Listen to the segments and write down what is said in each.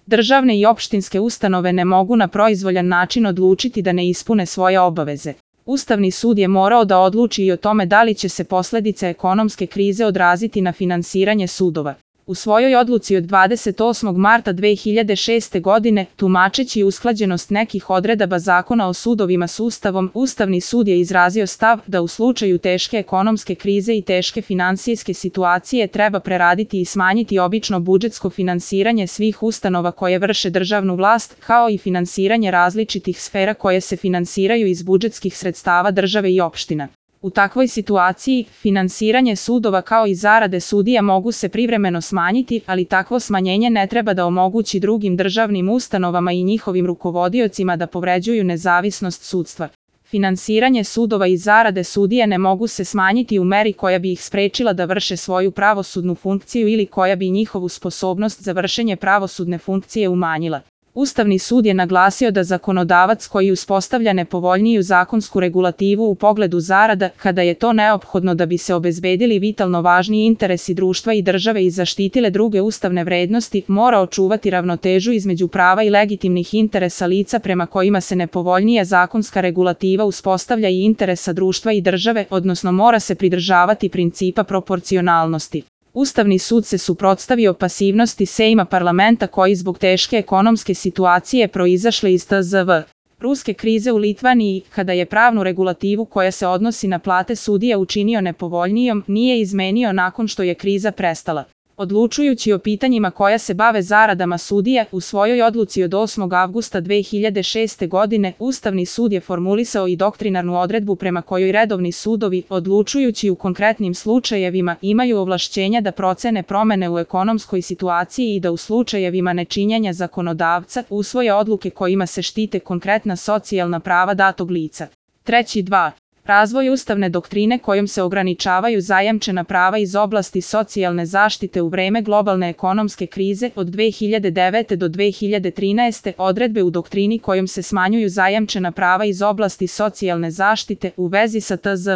Državne i opštinske ustanove ne mogu na proizvoljan način odlučiti da ne ispune svoje obaveze. Ustavni sud je morao da odluči i o tome da li će se posledice ekonomske krize odraziti na finansiranje sudova. U svojoj odluci od 28. marta 2006. godine, tumačeći usklađenost nekih odredaba Zakona o sudovima s Ustavom, Ustavni sud je izrazio stav da u slučaju teške ekonomske krize i teške finansijske situacije treba preraditi i smanjiti obično budžetsko finansiranje svih ustanova koje vrše državnu vlast, kao i finansiranje različitih sfera koje se finansiraju iz budžetskih sredstava države i opština. U takvoj situaciji, finansiranje sudova kao i zarade sudija mogu se privremeno smanjiti, ali takvo smanjenje ne treba da omogući drugim državnim ustanovama i njihovim rukovodiocima da povređuju nezavisnost sudstva. Finansiranje sudova i zarade sudija ne mogu se smanjiti u meri koja bi ih sprečila da vrše svoju pravosudnu funkciju ili koja bi njihovu sposobnost za vršenje pravosudne funkcije umanjila. Ustavni sud je naglasio da zakonodavac koji uspostavlja nepovoljniju zakonsku regulativu u pogledu zarada, kada je to neophodno da bi se obezbedili vitalno važni interesi društva i države i zaštitile druge ustavne vrednosti, mora očuvati ravnotežu između prava i legitimnih interesa lica prema kojima se nepovoljnija zakonska regulativa uspostavlja i interesa društva i države, odnosno mora se pridržavati principa proporcionalnosti. Ustavni sud se suprotstavio pasivnosti Sejma parlamenta koji zbog teške ekonomske situacije proizašle iz tzv. ruske krize u Litvaniji, kada je pravnu regulativu koja se odnosi na plate sudija učinio nepovoljnijom, nije izmenio nakon što je kriza prestala. Odlučujući o pitanjima koja se bave zaradama sudija, u svojoj odluci od 8. avgusta 2006. godine, Ustavni sud je formulisao i doktrinarnu odredbu prema kojoj redovni sudovi, odlučujući u konkretnim slučajevima, imaju ovlašćenja da procene promene u ekonomskoj situaciji i da u slučajevima nečinjenja zakonodavca usvoje odluke kojima se štite konkretna socijalna prava datog lica. 3.2. Razvoj ustavne doktrine kojom se ograničavaju zajamčena prava iz oblasti socijalne zaštite u vreme globalne ekonomske krize od 2009. do 2013. Odredbe u doktrini kojom se smanjuju zajamčena prava iz oblasti socijalne zaštite u vezi sa tzv.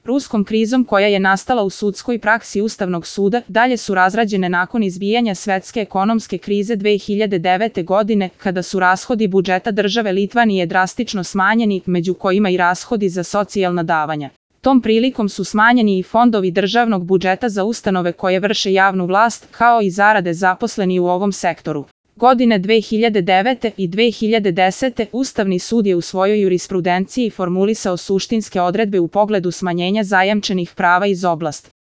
ruskom krizom koja je nastala u sudskoj praksi Ustavnog suda, dalje su razrađene nakon izbijanja svetske ekonomske krize 2009. godine, kada su rashodi budžeta države Litvanije drastično smanjeni, među kojima i rashodi za socijalna davanja. Tom prilikom su smanjeni i fondovi državnog budžeta za ustanove koje vrše javnu vlast, kao i zarade zaposleni u ovom sektoru. Godine 2009. i 2010. Ustavni sud je u svojoj jurisprudenciji formulisao suštinske odredbe u pogledu smanjenja zajamčenih prava iz oblasti